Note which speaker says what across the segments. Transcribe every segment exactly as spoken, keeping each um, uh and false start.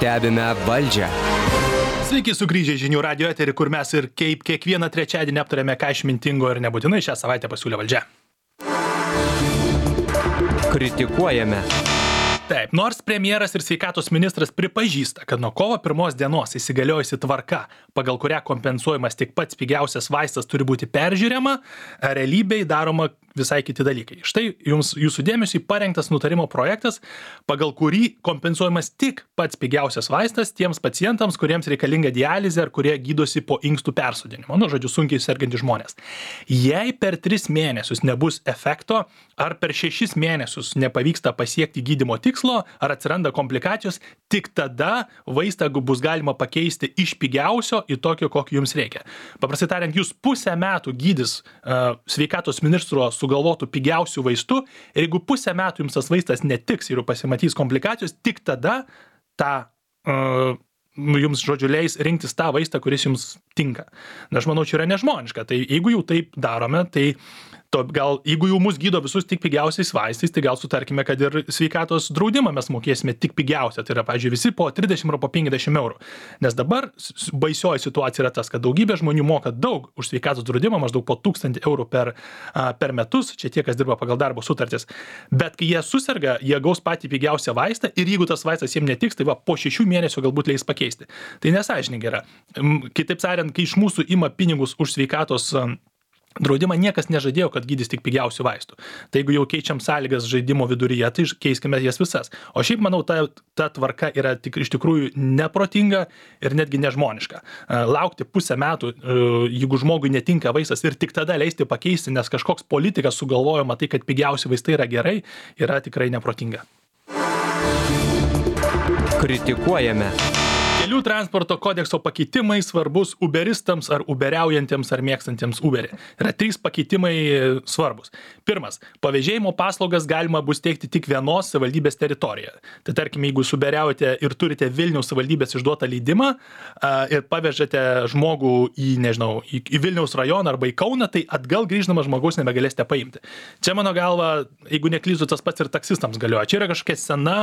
Speaker 1: Stebime valdžią.
Speaker 2: Sveiki sugrįžę į žinių radio eterį, kur mes ir kaip kiekvieną trečiadienį aptarėme, ką išmintingo ir nebūtinai šią savaitę pasiūlė valdžia.
Speaker 1: Kritikuojame.
Speaker 2: Taip, nors premjeras ir sveikatos ministras pripažįsta, kad nuo kovo pirmos dienos įsigaliojusi tvarka, pagal kurią kompensuojamas tik pats pigiausias vaistas turi būti peržiūrima, realybėje daroma visai kiti dalykai. Štai jums jūsų dėmesiui parengtas nutarimo projektas, pagal kurį kompensuojamas tik pats pigiausias vaistas tiems pacientams, kuriems reikalinga dializė ar kurie gydosi po inkstų persodinimo. Nu, žodžiu, sunkiai sergantys žmonės. Jei per tris mėnesius nebus efekto, ar per šešis mėnesius nepavyksta pasiekti gydymo tikslo, ar atsiranda komplikacijos, tik tada vaistą bus galima pakeisti iš pigiausio į tokio, kokio jums reikia. Paprastai tariant, jūs pusę metų gydys uh, sveikatos ministro sugalvotų pigiausių vaistų ir jeigu pusę metų jums tas vaistas netiks ir pasimatys komplikacijos, tik tada tą uh, jums, žodžiu, leis rinktis tą vaistą, kuris jums tinka. Na, aš manau, čia yra nežmoniška. Tai jeigu jau taip darome, tai to, gal, jeigu jau mus gydo visus tik pigiausiais vaistais, tai gal sutarkime, kad ir sveikatos draudimą mes mokėsime tik pigiausią. Tai yra, pavyzdžiui, visi po trisdešimt ar po penkiasdešimt eurų. Nes dabar baisioji situacija yra tas, kad daugybė žmonių moka daug už sveikatos draudimą, maždaug po tūkstantį eurų per, per metus, čia tie, kas dirba pagal darbo sutartis. Bet kai jie suserga, jie gaus patį pigiausią vaistą ir jeigu tas vaistas jiems netiks, tai va, po šešių mėnesių galbūt leis pakeisti. Tai nesąžiningai yra. Kitaip sakant, kai iš mūsų ima pinigus už sveikatos draudimą, niekas nežadėjo, kad gydys tik pigiausių vaistų. Tai jeigu jau keičiam sąlygas žaidimo viduryje, tai keiskime jas visas. O šiaip, manau, ta, ta tvarka yra tik, iš tikrųjų neprotinga ir netgi nežmoniška. Laukti pusę metų, jeigu žmogui netinka vaistas ir tik tada leisti pakeisti, nes kažkoks politikas sugalvojama tai, kad pigiausi vaistai yra gerai, yra tikrai neprotinga.
Speaker 1: Kritikuojame.
Speaker 2: Kelių transporto kodekso pakeitimai svarbus uberistams ar uberiaujantiems ar mėgstantiems Uberį. Yra trys pakeitimai svarbus. Pirmas, pavėžėjimo paslaugas galima bus teikti tik vienos savivaldybės teritorijoje. Tai tarkim, jeigu uberiaujate ir turite Vilniaus savivaldybės išduotą leidimą ir pavežate žmogų į, nežinau, į, į Vilniaus rajoną arba į Kauną, tai atgal grįždamas žmogaus nebegalėsite paimti. Čia, mano galva, jeigu neklystu, tas pats ir taksistams galioja. Čia yra kažkokia sena,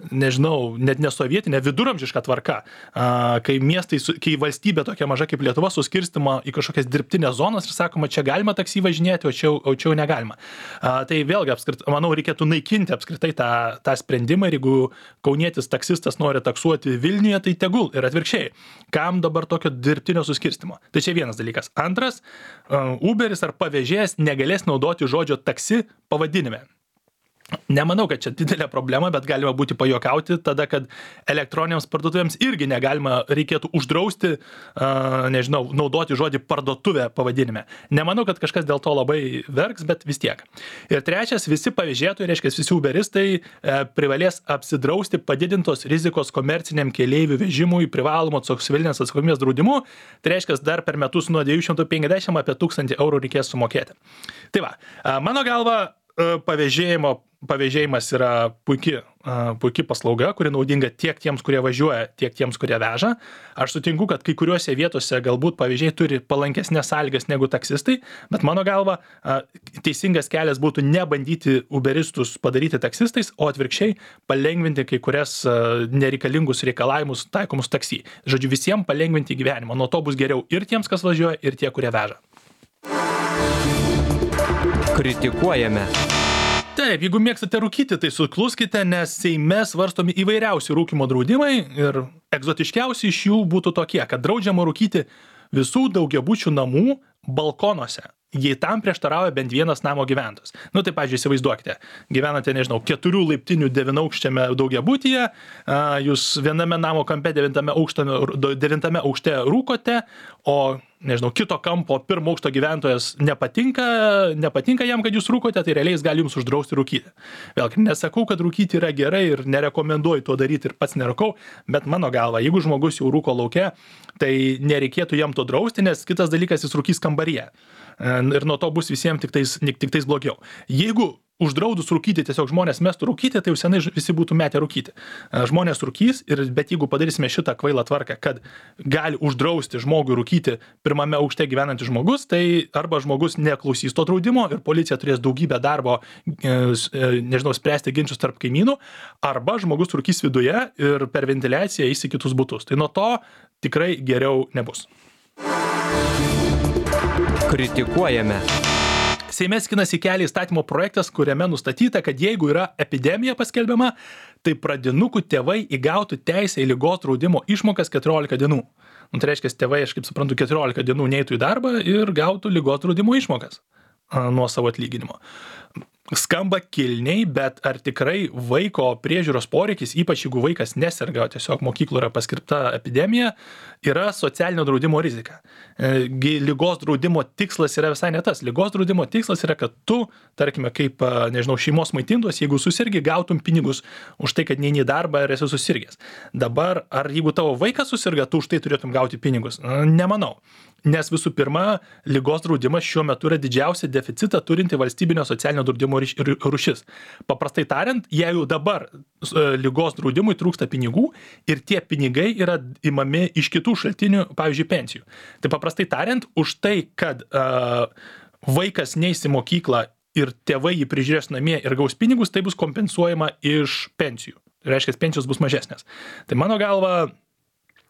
Speaker 2: nežinau, net ne sovietinė, viduramžiška tvarka. Kai miestai, kai valstybė tokia maža kaip Lietuva suskirstama į kažkokias dirbtinės zonas ir sakoma, čia galima taksi važinėti, o čia, o čia negalima. Tai vėlgi, apskrit, manau, reikėtų naikinti apskritai tą, tą sprendimą ir jeigu kaunietis taksistas nori taksuoti Vilniuje, tai tegul ir atvirkščiai. Kam dabar tokio dirbtinio suskirstimo? Tai čia vienas dalykas. Antras, Uberis ar pavėžėjas negalės naudoti žodžio taksi pavadinime. Nemanau, kad čia didelė problema, bet galima būti pajuokauti tada, kad elektroniniams parduotuvėms irgi negalima, reikėtų uždrausti, uh, nežinau, naudoti žodį parduotuvė pavadinime. Nemanau, kad kažkas dėl to labai verks, bet vis tiek. Ir trečias, visi pavėžėtojai, reiškia, visi uberistai e, privalės apsidrausti padidintos rizikos komerciniam keleivių vežimui privalomo civilinės atsakomybės draudimu. Tai reiškia, dar per metus nuo dviejų šimtų penkiasdešimt apie tūkstantį eurų reikės sumokėti. Tai va, mano galva, pavėžėjimo Pavėžėjimas yra puikia, puikia paslauga, kuri naudinga tiek tiems, kurie važiuoja, tiek tiems, kurie veža. Aš sutinku, kad kai kuriuose vietose galbūt pavėžėjai turi palankesnės sąlygas negu taksistai, bet mano galva teisingas kelias būtų nebandyti uberistus padaryti taksistais, o atvirkščiai palengvinti kai kurias nereikalingus reikalavimus taikomus taksi. Žodžiu, visiems palengvinti gyvenimą. Nuo to bus geriau ir tiems, kas važiuoja, ir tie, kurie veža.
Speaker 1: Kritikuojame.
Speaker 2: Taip, jeigu mėgstate rūkyti, tai sukluskite, nes Seime svarstomi įvairiausi rūkymo draudimai ir egzotiškiausi iš jų būtų tokie, kad draudžiama rūkyti visų daugiabučių namų balkonuose, jei tam prieštarauja bent vienas namo gyventojas. Nu, tai, pavyzdžiui, įsivaizduokite, gyvenate, nežinau, keturių laiptinių devynaukščiame daugiabutyje, jūs viename namo kampe devintame, aukštame, devintame aukšte rūkote, o, nežinau, kito kampo pirmo aukšto gyventojas nepatinka, nepatinka jam, kad jūs rūkote, tai realiai jis gali jums uždrausti rūkyti. Vėlgi, nesakau, kad rūkyti yra gerai ir nerekomenduoju to daryti ir pats nerūkau, bet mano galva, jeigu žmogus jau rūko lauke, tai nereikėtų jam to drausti, nes kitas dalykas jis rūkys kambaryje. Ir nuo to bus visiems tik tais, tik tais blogiau. Jeigu uždraudus rūkyti, tiesiog žmonės mestų rūkyti, tai jau senai visi būtų metę rūkyti. Žmonės rūkys, ir, bet jeigu padarysime šitą kvailą tvarką, kad gali uždrausti žmogui rūkyti pirmame aukšte gyvenantis žmogus, tai arba žmogus neklausys to draudimo ir policija turės daugybę darbo, nežinau, spręsti ginčius tarp kaimynų, arba žmogus rūkys viduje ir per ventiliaciją eis į kitus butus. Tai nuo to tikrai geriau nebus.
Speaker 1: Kritikuojame.
Speaker 2: Seime skinasi kelią įstatymo projektas, kuriame nustatyta, kad jeigu yra epidemija paskelbiama, tai pradinukų tėvai įgautų teisę į ligos draudimo išmokas keturiolika dienų. Nu, tai reiškia, tėvai, aš kaip suprantu, keturiolika dienų neitų į darbą ir gautų ligos draudimo išmokas nuo savo atlyginimo. Skamba kilniai, bet ar tikrai vaiko priežiūros poreikis, ypač jeigu vaikas neserga, tiesiog mokykloje yra paskirta epidemija, yra socialinio draudimo rizika. Ligos draudimo tikslas yra visai ne tas. Ligos draudimo tikslas yra, kad tu, tarkime, kaip, nežinau, šeimos maitintos, jeigu susirgi, gautum pinigus už tai, kad neini į darbą ir esi susirgęs. Dabar, ar jeigu tavo vaikas susirga, tu už tai turėtum gauti pinigus? Nemanau. Nes visų pirma, ligos draudimas šiuo metu yra didžiausia deficitą turinti valstybinio socialinio draudimo rūšis. Paprastai tariant, jeigu dabar ligos draudimui trūksta pinigų ir tie pinigai yra imami iš kitų šaltinių, pavyzdžiui, pensijų. Tai paprastai tariant, už tai, kad uh, vaikas neis į mokyklą ir tėvai jį prižiūrės namie ir gaus pinigus, tai bus kompensuojama iš pensijų. Tai reiškia, pensijos bus mažesnės. Tai mano galva,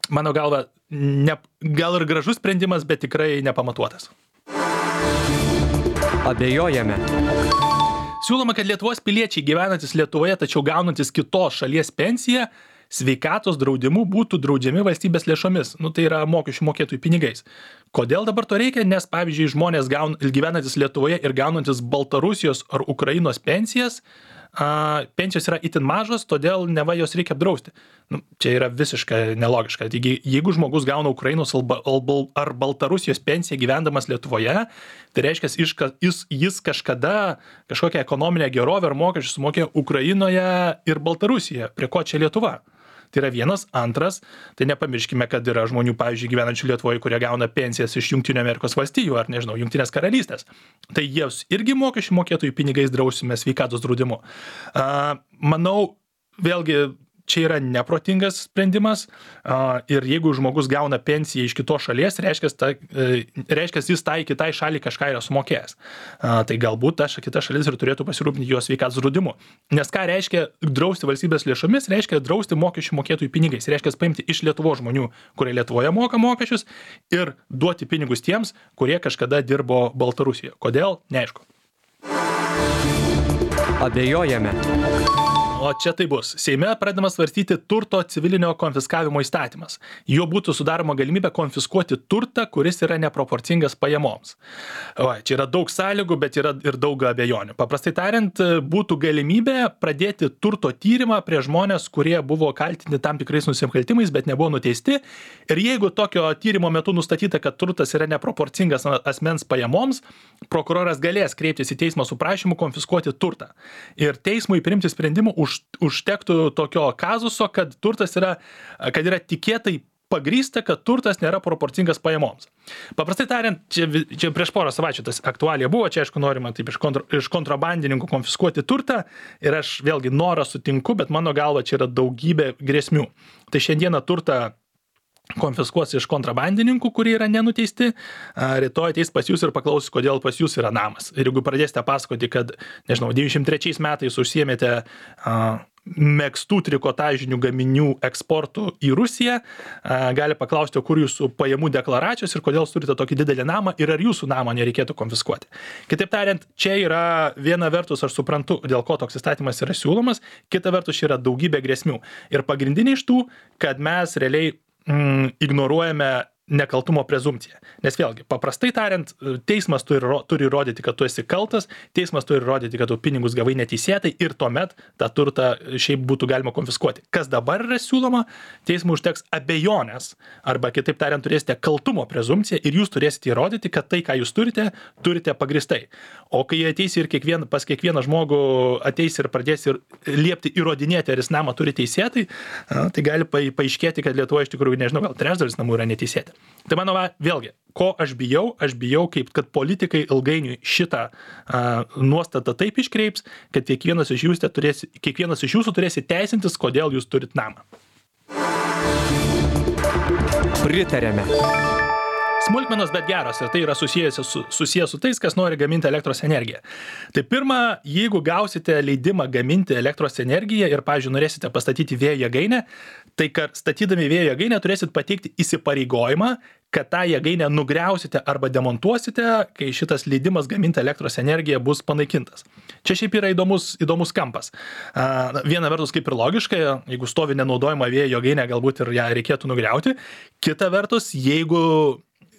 Speaker 2: mano galva, ne, gal ir gražus sprendimas, bet tikrai nepamatuotas.
Speaker 1: Abejojame.
Speaker 2: Siūloma, kad Lietuvos piliečiai gyvenantis Lietuvoje, tačiau gaunantis kitos šalies pensiją, sveikatos draudimu būtų draudžiami valstybės lėšomis. Nu, tai yra mokesčių mokėtojų pinigais. Kodėl dabar to reikia? Nes, pavyzdžiui, žmonės gaun, gyvenantis Lietuvoje ir gaunantis Baltarusijos ar Ukrainos pensijas, a, pensijos yra itin mažos, todėl neva jos reikia apdrausti. Nu, čia yra visiškai nelogiška. Taigi, jeigu žmogus gauna Ukrainos ar Baltarusijos pensiją gyvendamas Lietuvoje, tai reiškia, jis, jis kažkada kažkokią ekonominę gerovę ar mokesčius sumokė Ukrainoje ir Baltarusijoje. Prie ko čia Lietuva? Tai yra vienas. Antras, tai nepamirškime, kad yra žmonių, pavyzdžiui, gyvenančių Lietuvoje, kurie gauna pensijas iš Jungtinių Amerikos valstijų ar, nežinau, Jungtinės karalystės. Tai jiems irgi mokesčių mokėtojų pinigais drausime sveikatos draudimu. Uh, manau, vėlgi, čia yra neprotingas sprendimas uh, ir jeigu žmogus gauna pensiją iš kitos šalies, reiškia, ta, uh, reiškia jis tai kitai šaliai kažką yra sumokėjęs. Uh, tai galbūt ta kita šalis ir turėtų pasirūpinti jo sveikatos draudimu. Nes ką reiškia drausti valstybės lėšomis, reiškia drausti mokesčių mokėtojų pinigais. Reiškia paimti iš Lietuvos žmonių, kurie Lietuvoje moka mokesčius, ir duoti pinigus tiems, kurie kažkada dirbo Baltarusijoje. Kodėl? Neaišku.
Speaker 1: Abejojame.
Speaker 2: O čia tai bus. Seime pradedamas svarstyti turto civilinio konfiskavimo įstatymas. Jo būtų sudaroma galimybė konfiskuoti turtą, kuris yra neproporcingas pajamoms. O, čia yra daug sąlygų, bet yra ir daug abejonių. Paprastai tariant, būtų galimybė pradėti turto tyrimą prie žmonės, kurie buvo kaltinti tam tikrais nusikaltimais, bet nebuvo nuteisti. Ir jeigu tokio tyrimo metu nustatyta, kad turtas yra neproporcingas asmens pajamoms, prokuroras galės kreiptis į teismą su prašymu konfiskuoti turtą. Ir teismui priimti sprendimų už užtektų tokio kazuso, kad turtas yra, kad yra tikėtai pagrįsta, kad turtas nėra proporcingas pajamoms. Paprastai tariant, čia, čia prieš porą savaičių tas aktualija buvo, čia aišku norima taip iš, kontra, iš kontrabandininkų konfiskuoti turtą ir aš vėlgi norą sutinku, bet mano galva čia yra daugybė grėsmių. Tai šiandieną turtą konfiskuos iš kontrabandininkų, kurie yra nenuteisti, rytoj ateis pas jūs ir paklausys, kodėl pas jūs yra namas. Ir jeigu pradėsite pasakoti, kad, nežinau, devyniasdešimt trečiais metais užsiėmėte uh, megztų trikotažinių gaminių eksportų į Rusiją, uh, gali paklausti, kur jūsų pajamų deklaracijos ir kodėl turite tokį didelį namą ir ar jūsų namą nereikėtų konfiskuoti. Kitaip tariant, čia yra viena vertus, aš suprantu, dėl ko toks įstatymas yra siūlomas, kita vertus čia yra daugybė grėsmių. Ir pagrindiniai iš tų, kad mes realiai Mm, ignoruojame nekaltumo prezumpciją. Nes vėlgi, paprastai tariant, teismas turi, turi įrodyti, kad tu esi kaltas, teismas turi įrodyti, kad tu pinigus gavai neteisėtai ir tuomet tą turtą šiaip būtų galima konfiskuoti. Kas dabar yra siūloma, teismui užteks abejonės, arba kitaip tariant, turėsite kaltumo prezumpciją ir jūs turėsite įrodyti, kad tai, ką jūs turite, turite pagristai. O kai ateis ir kiekvien, pas kiekvieną žmogų ateis ir pradės ir liepti įrodinėti, ar jis namą turi teisėtai, tai gali paaiškėti, kad Lietuvoje iš tikrųjų, nežinau, gal trečdalis namų yra neteisėti. Tai mano, va, vėlgi, ko aš bijau, aš bijau, kaip kad politikai ilgainiui šitą uh, nuostatą taip iškreips, kad kiekvienas iš jūsų turės, kiekvienas iš jūsų turės įteisintis, kodėl jūs turit namą.
Speaker 1: Pritarėme.
Speaker 2: Smulkmenos, bet geros, ir tai yra susijęs su, susijęs su tais, kas nori gaminti elektros energiją. Tai pirma, jeigu gausite leidimą gaminti elektros energiją ir, pavyzdžiui, norėsite pastatyti vėjo jėgainę, tai kad statydami vėjo jėgainę turėsit pateikti įsipareigojimą, kad tą jėgainę nugriausite arba demontuosite, kai šitas leidimas gaminti elektros energiją bus panaikintas. Čia šiaip yra įdomus, įdomus kampas. A, viena vertus kaip ir logiškai, jeigu stovi nenaudojama vėjo jėgainė, galbūt ir ją reikėtų nugriauti. Kita vertus, jeigu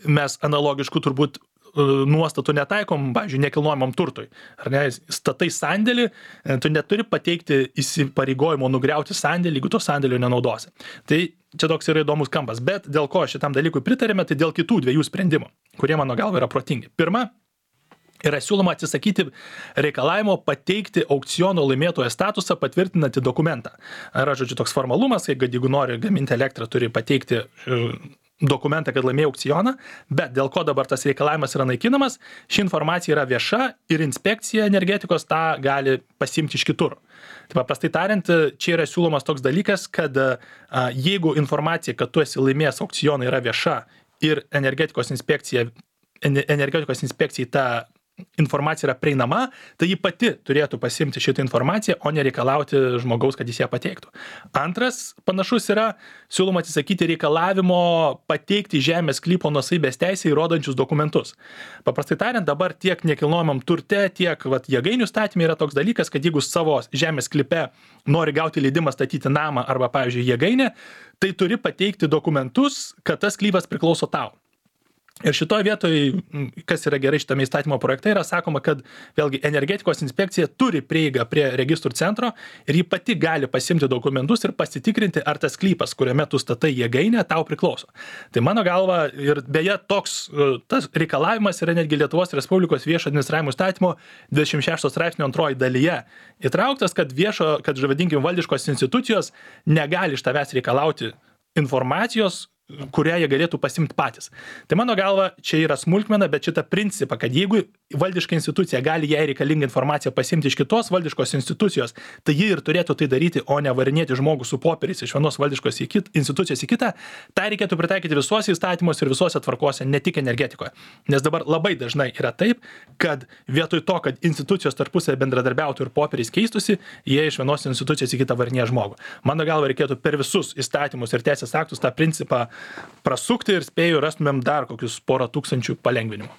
Speaker 2: mes analogiškų turbūt nuostatų netaikom, pavyzdžiui, nekilnojamam turtui. Ar ne, statai sandėlį, tu neturi pateikti įsipareigojimo nugriauti sandėlį, jeigu to sandėlio nenaudosi. Tai čia toks yra įdomus kampas. Bet dėl ko šitam dalykui pritarėme, tai dėl kitų dviejų sprendimų, kurie mano galva yra protingi. Pirma, yra siūloma atsisakyti reikalavimo pateikti aukciono laimėtojo statusą patvirtinantį dokumentą. Yra, žodžiu, toks formalumas, kad jeigu nori gaminti elektrą, turi pateikti dokumentą, kad laimėjo aukcioną, bet dėl ko dabar tas reikalavimas yra naikinamas, ši informacija yra vieša ir inspekcija energetikos tą gali pasiimti iš kitur. Tai paprastai tariant, čia yra siūlomas toks dalykas, kad a, jeigu informacija, kad tu esi laimėjęs aukcioną, yra vieša ir energetikos inspekcija, energetikos inspekcijai ta informacija yra prieinama, tai ji pati turėtų pasiimti šitą informaciją, o nereikalauti žmogaus, kad jis ją pateiktų. Antras panašus yra siūloma atsisakyti reikalavimo pateikti žemės sklypo nuosavybės teisę įrodančius dokumentus. Paprastai tariant, dabar tiek nekilnojamam turte, tiek vat, jėgainių statyme yra toks dalykas, kad jeigu savo žemės sklype nori gauti leidimą statyti namą arba, pavyzdžiui, jėgainę, tai turi pateikti dokumentus, kad tas sklypas priklauso tau. Ir šitoje vietoje, kas yra gerai šitame įstatymo projekte, yra sakoma, kad vėlgi energetikos inspekcija turi prieigą prie registrų centro ir ji pati gali pasimti dokumentus ir pasitikrinti, ar tas sklypas, kuriame tu statai jėgainę, tau priklauso. Tai mano galva, ir beje, toks tas reikalavimas yra netgi Lietuvos Respublikos viešo administravimo įstatymo dvidešimt šešto straipsnio antroji dalyje įtrauktas, kad viešo, kad žavadinkim valdiškos institucijos negali iš tavęs reikalauti informacijos, kurią jie galėtų pasimti patys. Tai mano galva, čia yra smulkmena, bet šitą principą, kad jeigu valdiška institucija gali jai reikalingą informaciją pasimti iš kitos valdiškos institucijos, tai ji ir turėtų tai daryti, o ne varinėti žmogų su popieriais iš vienos valdiškos į kit, institucijos į kitą, tai reikėtų pritaikyti visuose įstatymuose ir visuose tvarkose, ne tik energetikoje. Nes dabar labai dažnai yra taip, kad vietoj to, kad institucijos tarpusavy bendradarbiautų ir popieriais keistusi, jie iš vienos institucijos į kitą varinėja žmogų. Mano galva, reikėtų per visus įstatymus ir teisės aktus tą principą prasukti ir spėju rastumėm dar kokius porą tūkstančių palengvinimų.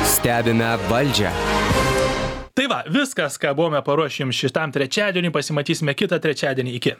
Speaker 1: Stebime valdžią.
Speaker 2: Tai va, viskas, ką buvome paruošę jums šitam trečiadienį, pasimatysime kitą trečiadienį. Iki.